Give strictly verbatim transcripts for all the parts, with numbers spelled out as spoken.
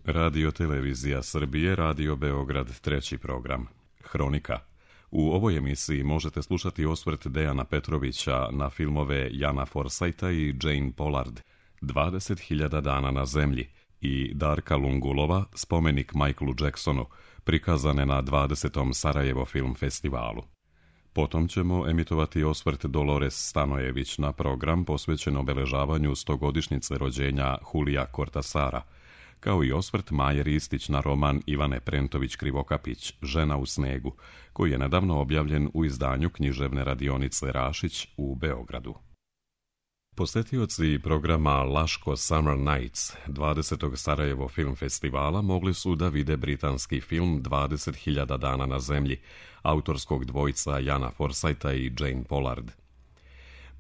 Radio Televizija Srbije, Radio Beograd, treći program. Hronika. U ovoj emisiji možete slušati osvrt Dejana Petrovića na filmove Jana Forsajta i Jane Pollard, dvadeset hiljada dana na zemlji, i Darka Lungulova, spomenik Michaelu Jacksonu, prikazane na dvadesetom Sarajevo Film Festivalu. Potom ćemo emitovati osvrt Dolores Stanojević na program posvećen obeležavanju stogodišnjice rođenja Julija Kortasara, kao i osvrt Maje Ristić na roman Ivane Prentović-Krivokapić, Žena u snegu, koji je nedavno objavljen u izdanju književne radionice Rašić u Beogradu. Posetioci programa Laško Summer Nights dvadesetog Sarajevo Film Festivala mogli su da vide britanski film dvadeset hiljada dana na zemlji, autorskog dvojca Jana Forsajta i Jane Pollard.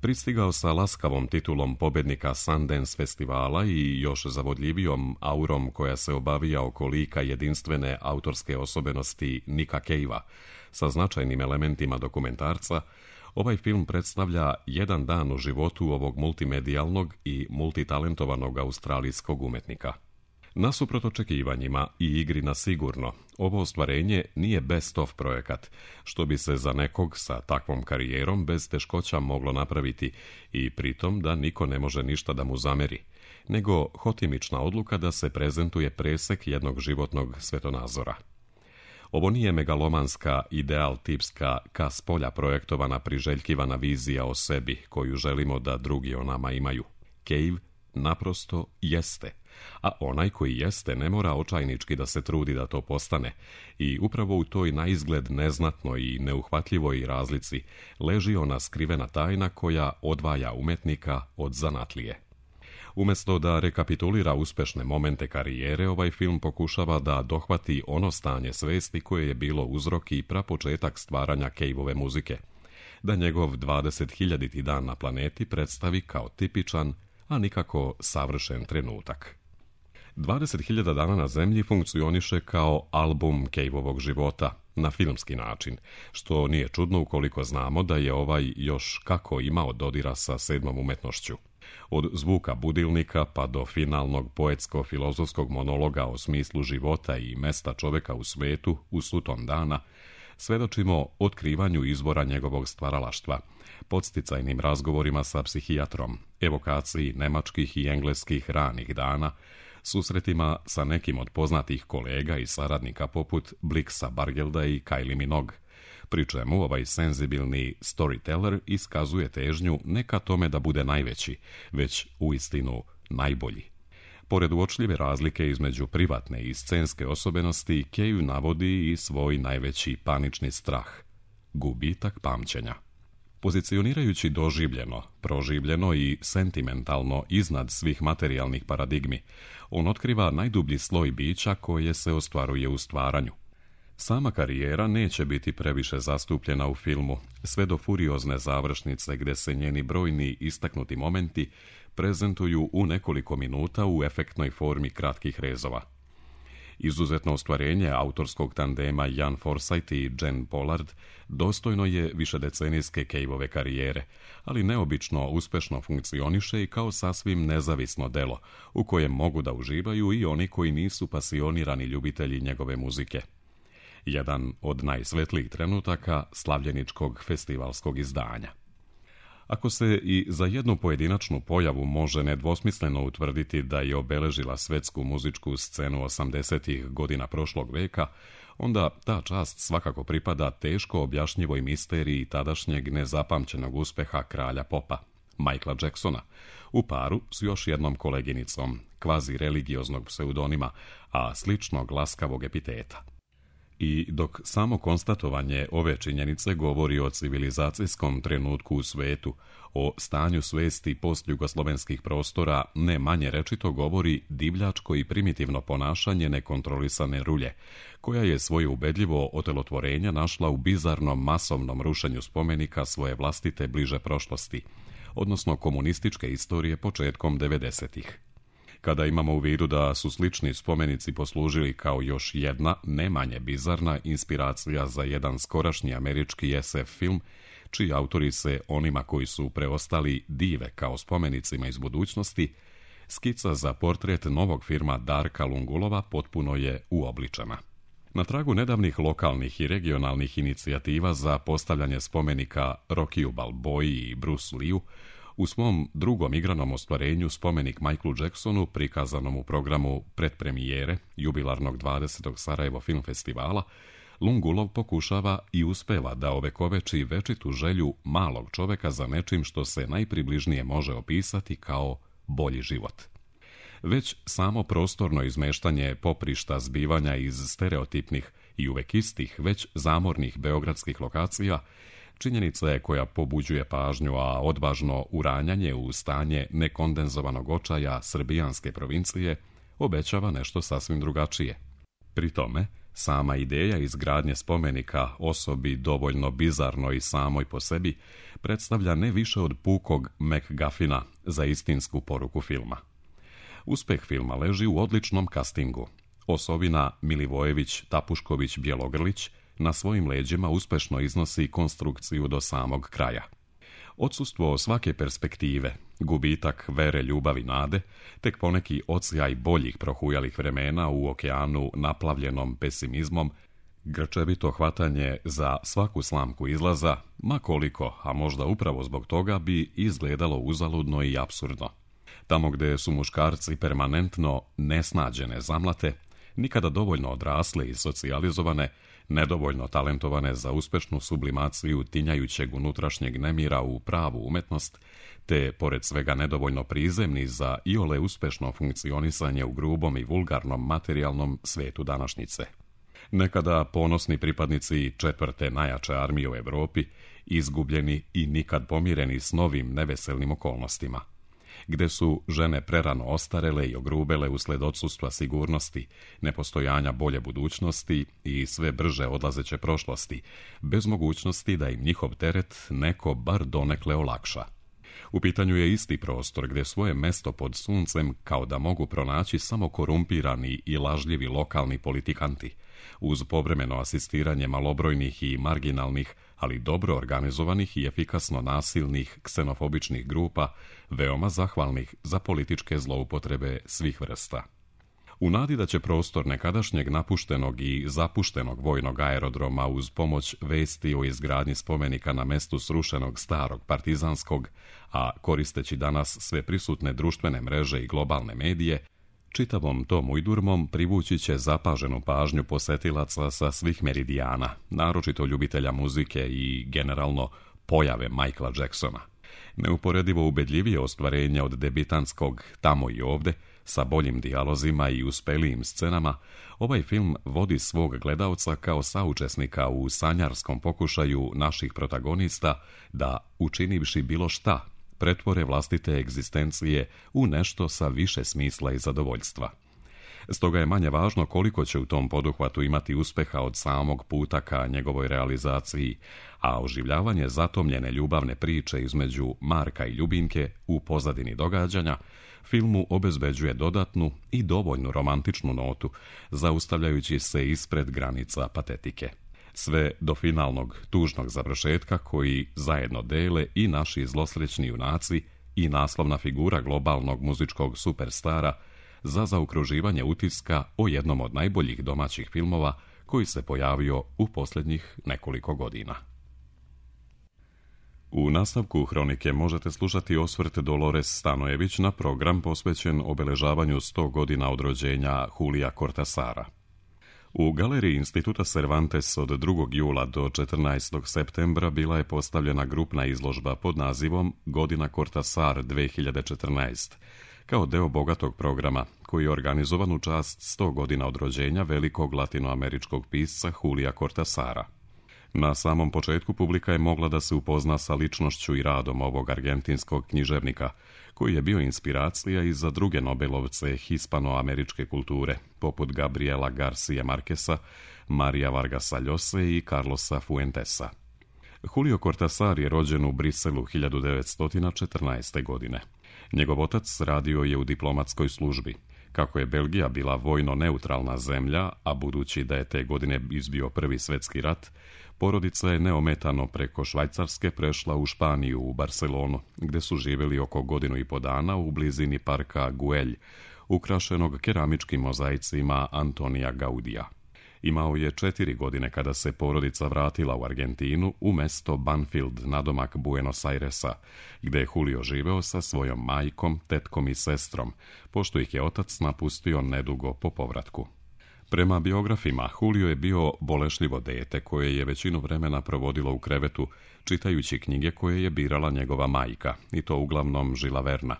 Pristigao sa laskavom titulom pobednika Sundance festivala i još zavodljivijom aurom koja se obavija oko lika jedinstvene autorske osobenosti Nika Cavea, sa značajnim elementima dokumentarca, ovaj film predstavlja jedan dan u životu ovog multimedijalnog i multitalentovanog australijskog umetnika. Nasuprot očekivanjima i igri na sigurno, ovo ostvarenje nije best of projekat, što bi se za nekog sa takvom karijerom bez teškoća moglo napraviti i pritom da niko ne može ništa da mu zameri, nego hotimična odluka da se prezentuje presek jednog životnog svetonazora. Ovo nije megalomanska, ideal tipska, ka s polja projektovana priželjkivana vizija o sebi koju želimo da drugi o nama imaju. Cave naprosto jeste, a onaj koji jeste ne mora očajnički da se trudi da to postane i upravo u toj naizgled neznatnoj i neuhvatljivoj razlici leži ona skrivena tajna koja odvaja umetnika od zanatlije. Umjesto da rekapitulira uspešne momente karijere, ovaj film pokušava da dohvati ono stanje svesti koje je bilo uzrok i prapočetak stvaranja Caveove muzike, da njegov dvadeset hiljaditi dan na planeti predstavi kao tipičan, a nikako savršen trenutak. dvadeset hiljada dana na zemlji funkcioniše kao album Caveovog života, na filmski način, što nije čudno ukoliko znamo da je ovaj još kako imao dodira sa sedmom umetnošću. Od zvuka budilnika pa do finalnog poetsko-filozofskog monologa o smislu života i mesta čoveka u svetu u suton dana, svedočimo otkrivanju izvora njegovog stvaralaštva, podsticajnim razgovorima sa psihijatrom, evokaciji nemačkih i engleskih ranih dana, susretima sa nekim od poznatih kolega i saradnika poput Blixa Bargelda i Kylie Minogue, pri čemu ovaj senzibilni storyteller iskazuje težnju ne ka tome da bude najveći, već uistinu najbolji. Pored uočljive razlike između privatne i scenske osobenosti, Cave navodi i svoj najveći panični strah – gubitak pamćenja. Pozicionirajući doživljeno, proživljeno i sentimentalno iznad svih materijalnih paradigmi, on otkriva najdublji sloj bića koje se ostvaruje u stvaranju. Sama karijera neće biti previše zastupljena u filmu, sve do furiozne završnice gde se njeni brojni istaknuti momenti prezentuju u nekoliko minuta u efektnoj formi kratkih rezova. Izuzetno ostvarenje autorskog tandema Jan Forsajt i Jane Pollard dostojno je višedecenijske Caveove karijere, ali neobično uspešno funkcioniše i kao sasvim nezavisno delo, u kojem mogu da uživaju i oni koji nisu pasionirani ljubitelji njegove muzike. Jedan od najsvetlijih trenutaka slavljeničkog festivalskog izdanja. Ako se i za jednu pojedinačnu pojavu može nedvosmisleno utvrditi da je obeležila svetsku muzičku scenu osamdesetih godina prošlog veka, onda ta čast svakako pripada teško objašnjivoj misteriji tadašnjeg nezapamćenog uspeha kralja popa, Michaela Jacksona, u paru s još jednom koleginicom, kvazi religioznog pseudonima, a sličnog laskavog epiteta. I dok samo konstatovanje ove činjenice govori o civilizacijskom trenutku u svetu, o stanju svesti postjugoslovenskih prostora, ne manje rečito govori divljačko i primitivno ponašanje nekontrolisane rulje, koja je svoje ubedljivo otelotvorenja našla u bizarnom masovnom rušenju spomenika svoje vlastite bliže prošlosti, odnosno komunističke istorije početkom devedesetih. Kada imamo u vidu da su slični spomenici poslužili kao još jedna, ne manje bizarna, inspiracija za jedan skorašnji američki es ef film, čiji autori se onima koji su preostali dive kao spomenicima iz budućnosti, skica za portret novog filma Darka Lungulova potpuno je uobličena. Na tragu nedavnih lokalnih i regionalnih inicijativa za postavljanje spomenika Rockiju Balboji i Bruce Leeu, u svom drugom igranom ostvarenju spomenik Michaelu Jacksonu, prikazanom u programu predpremijere jubilarnog dvadesetog Sarajevo film festivala, Lungulov pokušava i uspeva da ovekoveči večitu želju malog čoveka za nečim što se najpribližnije može opisati kao bolji život. Već samo prostorno izmeštanje poprišta zbivanja iz stereotipnih i uvek istih, već zamornih beogradskih lokacija, činjenica je koja pobuđuje pažnju, a odvažno uranjanje u stanje nekondenzovanog očaja srbijanske provincije obećava nešto sasvim drugačije. Pri tome, sama ideja izgradnje spomenika osobi dovoljno bizarnoj samoj po sebi predstavlja ne više od pukog MacGuffina za istinsku poruku filma. Uspeh filma leži u odličnom kastingu. Osovina Milivojević-Tapušković-Bjelogrlić na svojim leđima uspešno iznosi konstrukciju do samog kraja. Odsustvo svake perspektive, gubitak vere, ljubavi, nade, tek poneki odsjaj boljih prohujalih vremena u okeanu naplavljenom pesimizmom, grčevito hvatanje za svaku slamku izlaza, ma koliko, a možda upravo zbog toga, bi izgledalo uzaludno i apsurdno. Tamo gde su muškarci permanentno nesnađene zamlate, nikada dovoljno odrasle i socijalizovane, nedovoljno talentovane za uspešnu sublimaciju tinjajućeg unutrašnjeg nemira u pravu umetnost, te, pored svega, nedovoljno prizemni za iole uspešno funkcionisanje u grubom i vulgarnom materijalnom svetu današnjice. Nekada ponosni pripadnici četvrte najjače armije u Evropi, izgubljeni i nikad pomireni s novim neveselnim okolnostima, gde su žene prerano ostarele i ogrubele usled odsustva sigurnosti, nepostojanja bolje budućnosti i sve brže odlazeće prošlosti, bez mogućnosti da im njihov teret neko bar donekle olakša. U pitanju je isti prostor gde svoje mesto pod suncem kao da mogu pronaći samo korumpirani i lažljivi lokalni politikanti, uz povremeno asistiranje malobrojnih i marginalnih, ali dobro organizovanih i efikasno nasilnih ksenofobičnih grupa, veoma zahvalnih za političke zloupotrebe svih vrsta. U nadi da će prostor nekadašnjeg napuštenog i zapuštenog vojnog aerodroma uz pomoć vesti o izgradnji spomenika na mestu srušenog starog partizanskog, a koristeći danas sve prisutne društvene mreže i globalne medije, čitavom tom ujdurmom privući će zapaženu pažnju posetilaca sa svih meridijana, naročito ljubitelja muzike i, generalno, pojave Michaela Jacksona. Neuporedivo ubedljivije ostvarenja od debitanskog Tamo i ovde, sa boljim dijalozima i uspelijim scenama, ovaj film vodi svog gledaoca kao saučesnika u sanjarskom pokušaju naših protagonista da, učinivši bilo šta, pretvore vlastite egzistencije u nešto sa više smisla i zadovoljstva. Stoga je manje važno koliko će u tom poduhvatu imati uspeha od samog puta ka njegovoj realizaciji, a oživljavanje zatomljene ljubavne priče između Marka i Ljubinke u pozadini događanja filmu obezbeđuje dodatnu i dovoljnu romantičnu notu, zaustavljajući se ispred granica patetike. Sve do finalnog tužnog završetka koji zajedno dele i naši zlosrećni junaci i naslovna figura globalnog muzičkog superstara za zaokruživanje utiska o jednom od najboljih domaćih filmova koji se pojavio u posljednjih nekoliko godina. U nastavku hronike možete slušati osvrt Dolores Stanojević na program posvećen obeležavanju sto godina od rođenja Julija Cortasara. U galeriji Instituta Cervantes od drugog jula do četrnaestog septembra bila je postavljena grupna izložba pod nazivom Godina Cortasar dve hiljade četrnaest, kao deo bogatog programa koji je organizovan u čast sto godina od rođenja velikog latinoameričkog pisca Julija Cortasara. Na samom početku publika je mogla da se upozna sa ličnošću i radom ovog argentinskog književnika, koji je bio inspiracija i za druge Nobelovce hispanoameričke kulture, poput Gabriela Garcia Marquesa, Maria Vargasa Llose i Carlosa Fuentesa. Julio Cortasar je rođen u Briselu hiljadu devetsto četrnaeste. godine. Njegov otac radio je u diplomatskoj službi. Kako je Belgija bila vojno neutralna zemlja, a budući da je te godine izbio Prvi svetski rat, Porodica je neometano preko Švajcarske prešla u Španiju, u Barcelonu, gdje su živjeli oko godinu i po dana u blizini parka Güell, ukrašenog keramičkim mozaicima Antonija Gaudija. Imao je četiri godine kada se porodica vratila u Argentinu u mesto Banfield, nadomak Buenos Airesa, gdje je Julio živeo sa svojom majkom, tetkom i sestrom, pošto ih je otac napustio nedugo po povratku. Prema biografima, Julio je bio bolešljivo dete koje je većinu vremena provodilo u krevetu, čitajući knjige koje je birala njegova majka, i to uglavnom Žila Verna.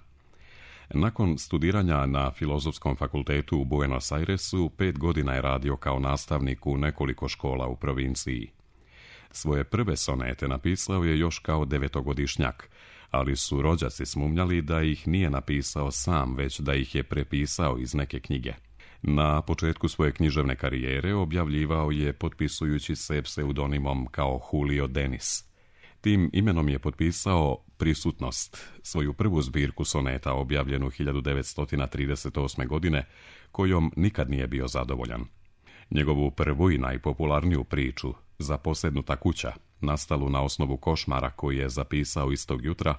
Nakon studiranja na Filozofskom fakultetu u Buenos Airesu, pet godina je radio kao nastavnik u nekoliko škola u provinciji. Svoje prve sonete napisao je još kao devetogodišnjak, ali su rođaci smumnjali da ih nije napisao sam, već da ih je prepisao iz neke knjige. Na početku svoje književne karijere objavljivao je potpisujući se pseudonimom kao Julio Denis. Tim imenom je potpisao Prisutnost, svoju prvu zbirku soneta objavljenu hiljadu devetsto trideset osme. godine, kojom nikad nije bio zadovoljan. Njegovu prvu i najpopularniju priču, Zaposednuta kuća, nastalu na osnovu košmara koji je zapisao istog jutra,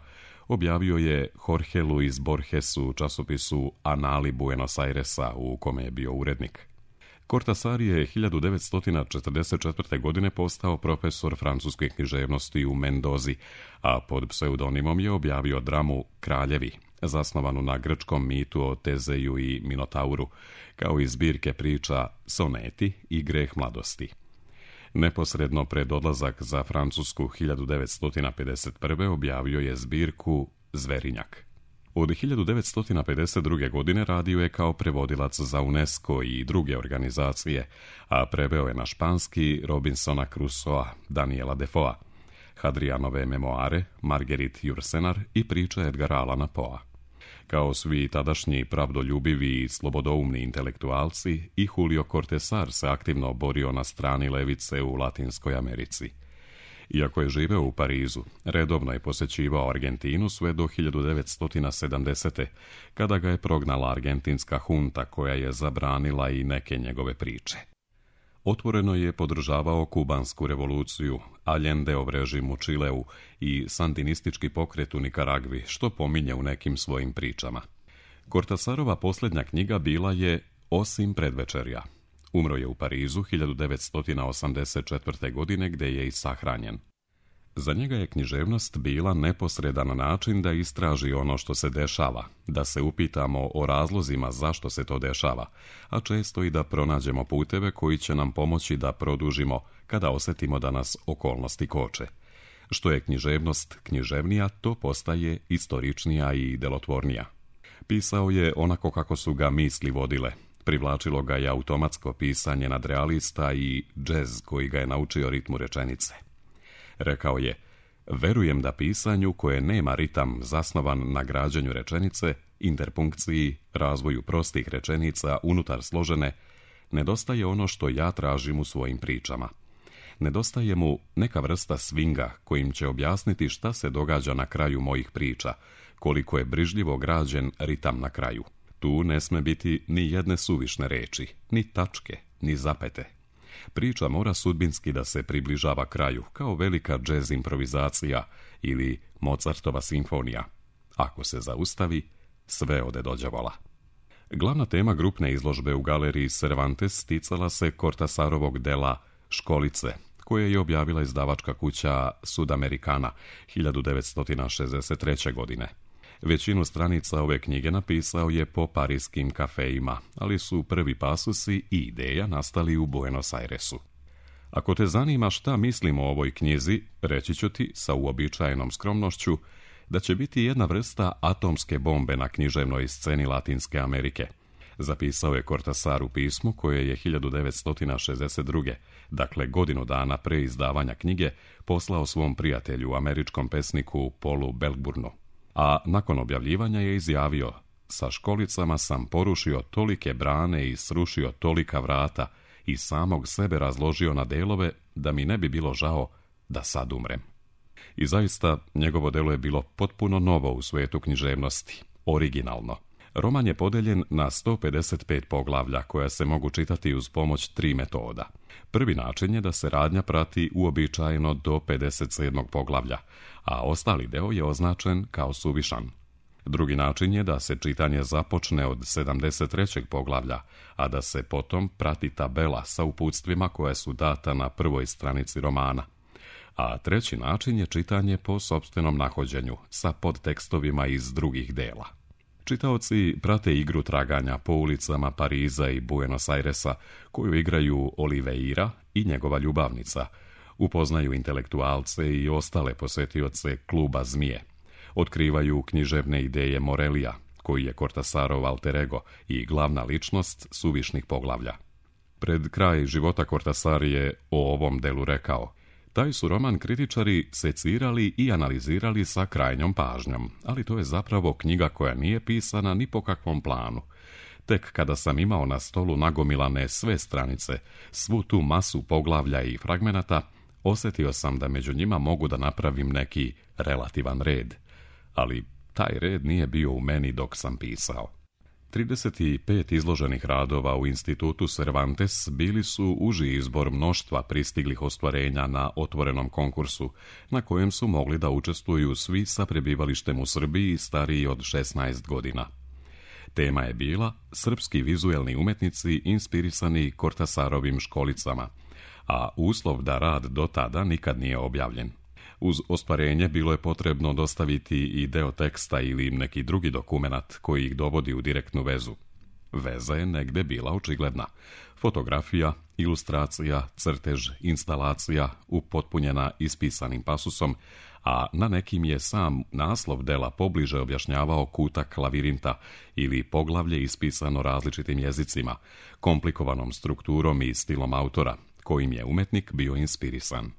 objavio je Jorge Luis Borges u časopisu Anali Buenos Airesa, u kome je bio urednik. Cortasar je hiljadu devetsto četrdeset četvrte. godine postao profesor francuske književnosti u Mendozi, a pod pseudonimom je objavio dramu Kraljevi, zasnovanu na grčkom mitu o Tezeju i Minotauru, kao i zbirke priča Soneti i Greh mladosti. Neposredno pred odlazak za Francusku hiljadu devetsto pedeset prve. objavio je zbirku Zverinjak. Od hiljadu devetsto pedeset druge. godine radio je kao prevodilac za UNESCO i druge organizacije, a preveo je na španski Robinsona Crusoa, Daniela Defoea, Hadrianove memoare, Marguerite Yourcenar i priče Edgara Allana Poea. Kao svi tadašnji pravdoljubivi i slobodoumni intelektualci, i Julio Cortázar se aktivno borio na strani levice u Latinskoj Americi. Iako je živeo u Parizu, redovno je posjećivao Argentinu sve do hiljadu devetsto sedamdesete. kada ga je prognala argentinska hunta koja je zabranila i neke njegove priče. Otvoreno je podržavao kubansku revoluciju, Allendeov režim u Čileu i sandinistički pokret u Nikaragvi, što pominje u nekim svojim pričama. Cortázarova posljednja knjiga bila je Osim predvečerja. Umro je u Parizu hiljadu devetsto osamdeset četvrte. godine, gdje je i sahranjen. Za njega je književnost bila neposredan način da istraži ono što se dešava, da se upitamo o razlozima zašto se to dešava, a često i da pronađemo puteve koji će nam pomoći da produžimo kada osjetimo da nas okolnosti koče. Što je književnost književnija, to postaje istoričnija i delotvornija. Pisao je onako kako su ga misli vodile. Privlačilo ga je automatsko pisanje nadrealista i džez koji ga je naučio ritmu rečenice. Rekao je, verujem da pisanju koje nema ritam zasnovan na građenju rečenice, interpunkciji, razvoju prostih rečenica unutar složene, nedostaje ono što ja tražim u svojim pričama. Nedostaje mu neka vrsta swinga kojim će objasniti šta se događa na kraju mojih priča, koliko je brižljivo građen ritam na kraju. Tu ne sme biti ni jedne suvišne reči, ni tačke, ni zapete. Priča mora sudbinski da se približava kraju, kao velika džez improvizacija ili Mozartova simfonija. Ako se zaustavi, sve ode do đavola. Glavna tema grupne izložbe u galeriji Cervantes ticala se Cortázarovog dela Školice, koje je objavila izdavačka kuća Sudamericana hiljadu devetsto šezdeset treće. godine. Većinu stranica ove knjige napisao je po parijskim kafejima, ali su prvi pasusi i ideja nastali u Buenos Airesu. Ako te zanima šta mislim o ovoj knjizi, reći ću ti sa uobičajenom skromnošću da će biti jedna vrsta atomske bombe na književnoj sceni Latinske Amerike. Zapisao je Cortázar u pismu koje je hiljadu devetsto šezdeset druge. dakle godinu dana pre izdavanja knjige, poslao svom prijatelju, američkom pesniku Paulu Belkburnu. A nakon objavljivanja je izjavio, sa školicama sam porušio tolike brane i srušio tolika vrata i samog sebe razložio na delove da mi ne bi bilo žao da sad umrem. I zaista, njegovo delo je bilo potpuno novo u svetu književnosti, originalno. Roman je podeljen na sto pedeset pet poglavlja koja se mogu čitati uz pomoć tri metoda. Prvi način je da se radnja prati uobičajeno do pedeset sedmog poglavlja, a ostali deo je označen kao suvišan. Drugi način je da se čitanje započne od sedamdeset trećeg poglavlja, a da se potom prati tabela sa uputstvima koja su data na prvoj stranici romana. A treći način je čitanje po sopstvenom nahođenju, sa podtekstovima iz drugih dela. Čitaoci prate igru traganja po ulicama Pariza i Buenos Airesa, koju igraju Oliveira i njegova ljubavnica. Upoznaju intelektualce i ostale posetioce kluba Zmije. Otkrivaju književne ideje Morelija, koji je Cortasarov alter ego i glavna ličnost suvišnih poglavlja. Pred kraj života Cortasar je o ovom delu rekao: taj su roman kritičari secirali i analizirali sa krajnjom pažnjom, ali to je zapravo knjiga koja nije pisana ni po kakvom planu. Tek kada sam imao na stolu nagomilane sve stranice, svu tu masu poglavlja i fragmenata, osjetio sam da među njima mogu da napravim neki relativan red. Ali taj red nije bio u meni dok sam pisao. trideset pet izloženih radova u institutu Cervantes bili su uži izbor mnoštva pristiglih ostvarenja na otvorenom konkursu, na kojem su mogli da učestvuju svi sa prebivalištem u Srbiji stariji od šesnaest godina. Tema je bila srpski vizuelni umetnici inspirisani Cortasarovim školicama, a uslov da rad do tada nikad nije objavljen. Uz ostvarenje bilo je potrebno dostaviti i deo teksta ili neki drugi dokumenat koji ih dovodi u direktnu vezu. Veza je negde bila očigledna. Fotografija, ilustracija, crtež, instalacija, upotpunjena ispisanim pasusom, a na nekim je sam naslov dela pobliže objašnjavao kutak lavirinta ili poglavlje ispisano različitim jezicima, komplikovanom strukturom i stilom autora, kojim je umetnik bio inspirisan.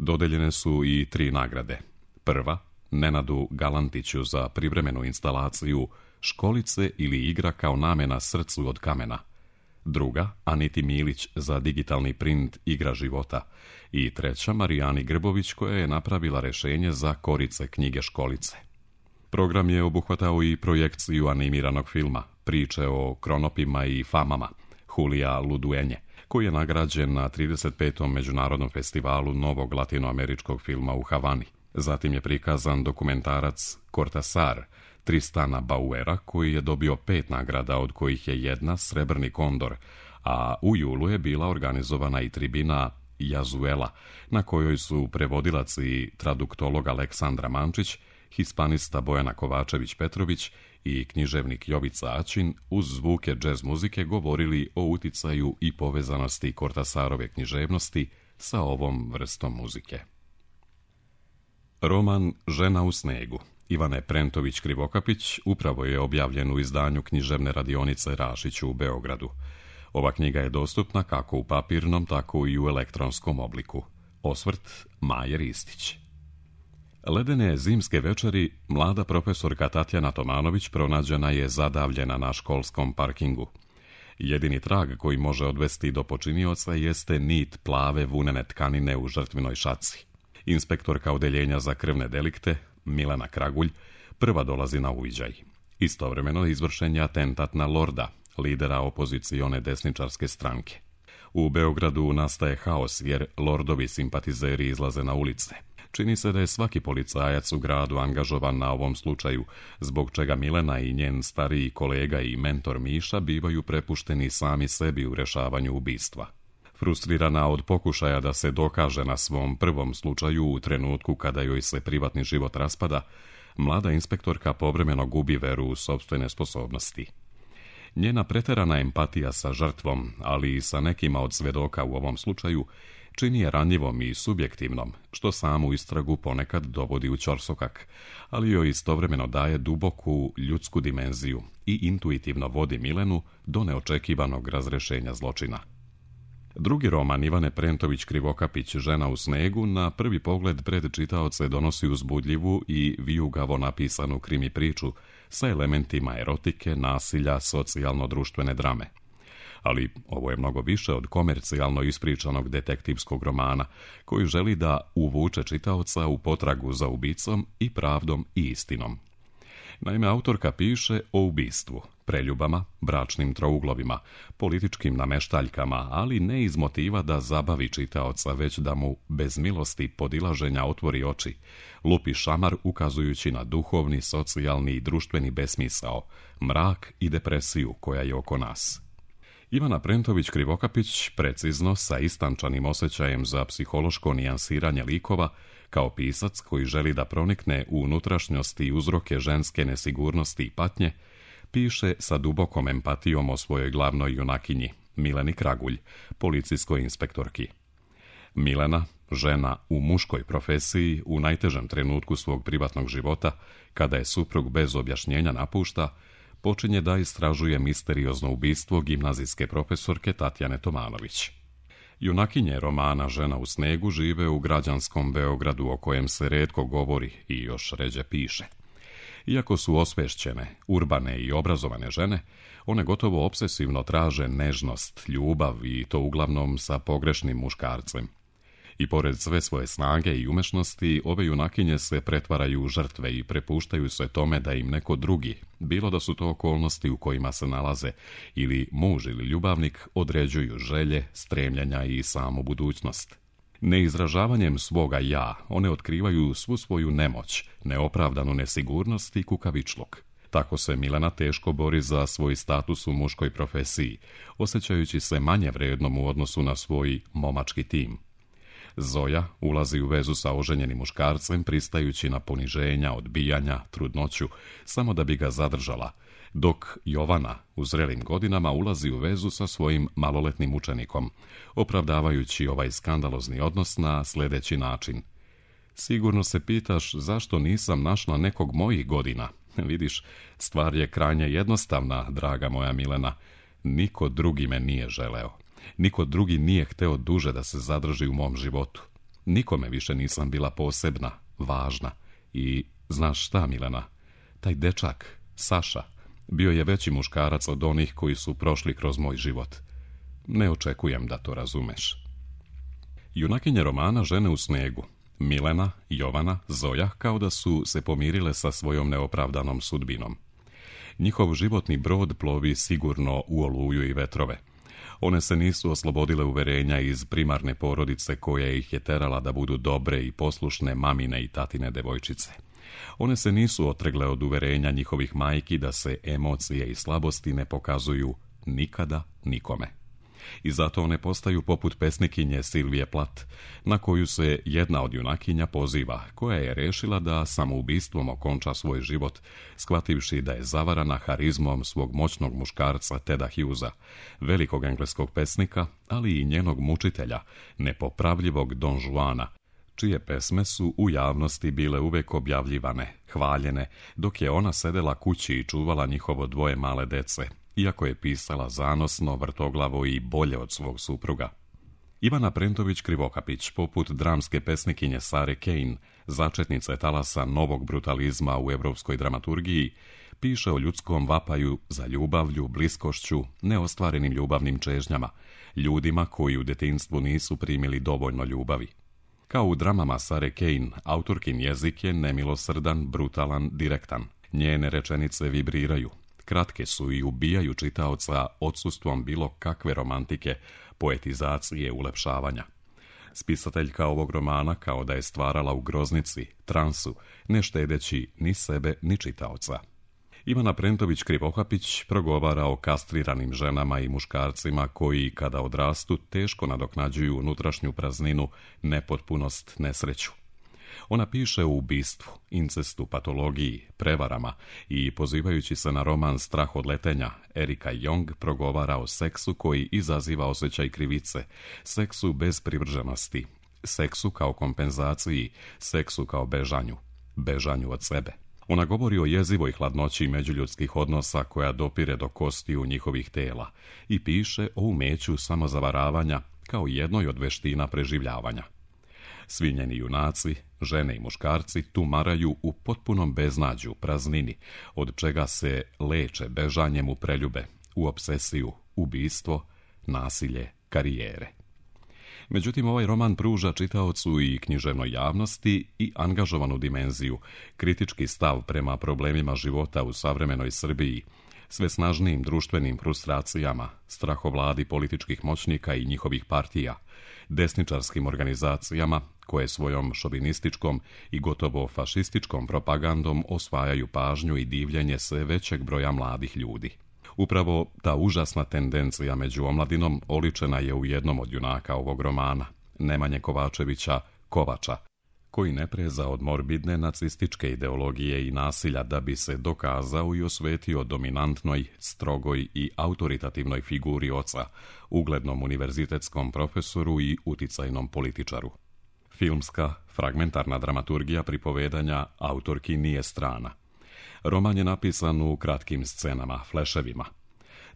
Dodeljene su i tri nagrade. Prva, Nenadu Galantiću za privremenu instalaciju Školice ili igra kao namena srcu od kamena. Druga, Aniti Milić za digitalni print Igra života. I treća, Marijani Grbović koja je napravila rešenje za korice knjige Školice. Program je obuhvatao i projekciju animiranog filma, priče o kronopima i famama, Julija Luduenje, koji je nagrađen na trideset petom Međunarodnom festivalu novog latinoameričkog filma u Havani. Zatim je prikazan dokumentarac Cortasar, Tristana Bauera, koji je dobio pet nagrada, od kojih je jedna Srebrni kondor, a u julu je bila organizovana i tribina Jazuela, na kojoj su prevodilac i traduktolog Aleksandra Mančić, hispanista Bojana Kovačević-Petrović i književnik Jovica Aćin uz zvuke džez muzike govorili o uticaju i povezanosti Cortasarove književnosti sa ovom vrstom muzike. Roman Žena u snegu Ivane Prentović-Krivokapić upravo je objavljen u izdanju književne radionice Rašiću u Beogradu. Ova knjiga je dostupna kako u papirnom, tako i u elektronskom obliku. Osvrt Maje Ristić. Ledene zimske večeri mlada profesorka Tatjana Tomanović pronađena je zadavljena na školskom parkingu. Jedini trag koji može odvesti do počinioca jeste nit plave vunene tkanine u žrtvinoj šaci. Inspektorka odeljenja za krvne delikte, Milena Kragulj, prva dolazi na uviđaj. Istovremeno izvršen je atentat na Lorda, lidera opozicione desničarske stranke. U Beogradu nastaje haos jer Lordovi simpatizeri izlaze na ulice. Čini se da je svaki policajac u gradu angažovan na ovom slučaju, zbog čega Milena i njen stariji kolega i mentor Miša bivaju prepušteni sami sebi u rešavanju ubistva. Frustrirana od pokušaja da se dokaže na svom prvom slučaju u trenutku kada joj se privatni život raspada, mlada inspektorka povremeno gubi veru u sopstvene sposobnosti. Njena preterana empatija sa žrtvom, ali i sa nekima od svedoka u ovom slučaju, čini je ranjivom i subjektivnom, što samu istragu ponekad dovodi u ćorsokak, ali joj istovremeno daje duboku ljudsku dimenziju i intuitivno vodi Milenu do neočekivanog razrešenja zločina. Drugi roman Ivane Prentović-Krivokapić Žena u snegu na prvi pogled pred čitaoce donosi uzbudljivu i vijugavo napisanu krimi priču sa elementima erotike, nasilja, socijalno-društvene drame. Ali ovo je mnogo više od komercijalno ispričanog detektivskog romana, koji želi da uvuče čitaoca u potragu za ubicom i pravdom i istinom. Naime, autorka piše o ubistvu, preljubama, bračnim trouglovima, političkim nameštaljkama, ali ne iz motiva da zabavi čitaoca, već da mu bez milosti podilaženja otvori oči, lupi šamar ukazujući na duhovni, socijalni i društveni besmisao, mrak i depresiju koja je oko nas. Ivana Prentović-Krivokapić precizno, sa istančanim osjećajem za psihološko nijansiranje likova, kao pisac koji želi da pronikne u unutrašnjosti i uzroke ženske nesigurnosti i patnje, piše sa dubokom empatijom o svojoj glavnoj junakinji, Mileni Kragulj, policijskoj inspektorki. Milena, žena u muškoj profesiji, u najtežem trenutku svog privatnog života, kada je suprug bez objašnjenja napušta, počinje da istražuje misteriozno ubistvo gimnazijske profesorke Tatjane Tomanović. Junakinje romana Žena u snegu žive u građanskom Beogradu o kojem se retko govori i još ređe piše. Iako su osvešćene, urbane i obrazovane žene, one gotovo obsesivno traže nežnost, ljubav i to uglavnom sa pogrešnim muškarcem. I pored sve svoje snage i umešnosti, ove junakinje se pretvaraju u žrtve i prepuštaju se tome da im neko drugi, bilo da su to okolnosti u kojima se nalaze, ili muž ili ljubavnik, određuju želje, stremljenja i samu budućnost. Neizražavanjem svoga ja, one otkrivaju svu svoju nemoć, neopravdanu nesigurnost i kukavičluk. Tako se Milena teško bori za svoj status u muškoj profesiji, osjećajući se manje vrednom u odnosu na svoj momački tim. Zoja ulazi u vezu sa oženjenim muškarcem, pristajući na poniženja, odbijanja, trudnoću, samo da bi ga zadržala, dok Jovana u zrelim godinama ulazi u vezu sa svojim maloletnim učenikom, opravdavajući ovaj skandalozni odnos na sljedeći način. Sigurno se pitaš zašto nisam našla nekog mojih godina. Vidiš, stvar je krajnje jednostavna, draga moja Milena. Niko drugi me nije želeo. Niko drugi nije hteo duže da se zadrži u mom životu. Nikome više nisam bila posebna, važna. I znaš šta, Milena? Taj dečak, Saša, bio je veći muškarac od onih koji su prošli kroz moj život. Ne očekujem da to razumeš. Junakinje romana Žene u snegu, Milena, Jovana, Zoja, kao da su se pomirile sa svojom neopravdanom sudbinom. Njihov životni brod plovi sigurno u oluju i vetrove. One se nisu oslobodile uverenja iz primarne porodice koja ih je terala da budu dobre i poslušne mamine i tatine devojčice. One se nisu otregle od uverenja njihovih majki da se emocije i slabosti ne pokazuju nikada nikome. I zato one postaju poput pesnikinje Silvije Plat, na koju se jedna od junakinja poziva, koja je rešila da samoubistvom okonča svoj život, shvativši da je zavarana harizmom svog moćnog muškarca Teda Hughesa, velikog engleskog pesnika, ali i njenog mučitelja, nepopravljivog Don Juana, čije pesme su u javnosti bile uvek objavljivane, hvaljene, dok je ona sedela kući i čuvala njihovo dvoje male dece, iako je pisala zanosno, vrtoglavo i bolje od svog supruga. Ivana Prentović-Krivokapić, poput dramske pesnikinje Sare Kane, začetnice talasa novog brutalizma u evropskoj dramaturgiji, piše o ljudskom vapaju za ljubavlju, bliskošću, neostvarenim ljubavnim čežnjama, ljudima koji u detinjstvu nisu primili dovoljno ljubavi. Kao u dramama Sare Kane, autorkin jezik je nemilosrdan, brutalan, direktan. Njene rečenice vibriraju. Kratke su i ubijaju čitaoca odsustvom bilo kakve romantike, poetizacije, ulepšavanja. Spisateljka ovog romana kao da je stvarala u groznici, transu, ne štedeći ni sebe ni čitaoca. Ivana Prentović-Krivokapić progovara o kastriranim ženama i muškarcima koji, kada odrastu, teško nadoknađuju unutrašnju prazninu, nepotpunost, nesreću. Ona piše o ubistvu, incestu, patologiji, prevarama i, pozivajući se na roman Strah od letenja, Erika Jong progovara o seksu koji izaziva osjećaj krivice, seksu bez privrženosti, seksu kao kompenzaciji, seksu kao bežanju, bežanju od sebe. Ona govori o jezivoj hladnoći međuljudskih odnosa koja dopire do kostiju njihovih tela i piše o umeću samozavaravanja kao jednoj od veština preživljavanja. Svi njeni junaci, žene i muškarci, tumaraju u potpunom beznađu, praznini, od čega se leče bežanjem u preljube, u obsesiju, ubistvo, nasilje, karijere. Međutim, ovaj roman pruža čitaocu i književnoj javnosti i angažovanu dimenziju, kritički stav prema problemima života u savremenoj Srbiji, sve snažnijim društvenim frustracijama, strahovladi političkih moćnika i njihovih partija, desničarskim organizacijama koje svojom šovinističkom i gotovo fašističkom propagandom osvajaju pažnju i divljenje sve većeg broja mladih ljudi. Upravo ta užasna tendencija među omladinom oličena je u jednom od junaka ovog romana, Nemanje Kovačevića, Kovača, koji ne preza od morbidne nacističke ideologije i nasilja da bi se dokazao i osvetio dominantnoj, strogoj i autoritativnoj figuri oca, uglednom univerzitetskom profesoru i uticajnom političaru. Filmska, fragmentarna dramaturgija pripovedanja autorki nije strana. Roman je napisan u kratkim scenama, fleševima.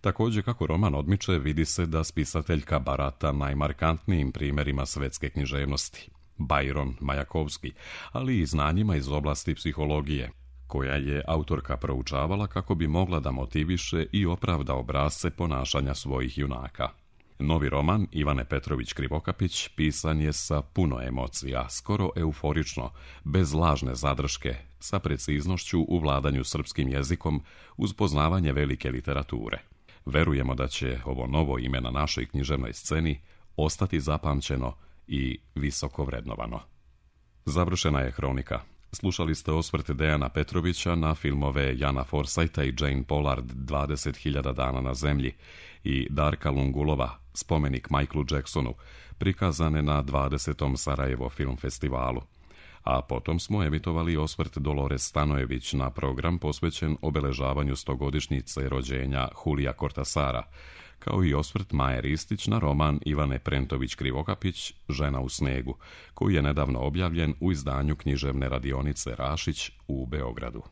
Također, kako roman odmiče, vidi se da spisateljka barata najmarkantnijim primjerima svetske književnosti, Byron, Majakovski, ali i znanjima iz oblasti psihologije, koja je autorka proučavala kako bi mogla da motiviše i opravda obrasce ponašanja svojih junaka. Novi roman Ivane Petrović Krivokapić pisan je sa puno emocija, skoro euforično, bez lažne zadrške, sa preciznošću u vladanju srpskim jezikom uz poznavanje velike literature. Verujemo da će ovo novo ime na našoj književnoj sceni ostati zapamćeno i visoko vrednovano. Završena je hronika. Slušali ste osvrt Dejana Petrovića na filmove Jana Forsajta i Jane Pollard dvadeset hiljada dana na zemlji i Darka Lungulova Spomenik Michaelu Jacksonu, prikazane na dvadesetom Sarajevo film festivalu. A potom smo emitovali osvrt Dolores Stanojević na program posvećen obeležavanju stogodišnjice rođenja Julija Kortasara, kao i osvrt Maje Ristić na roman Ivane Prentović Krivokapić Žena u snegu, koji je nedavno objavljen u izdanju književne radionice Rašić u Beogradu.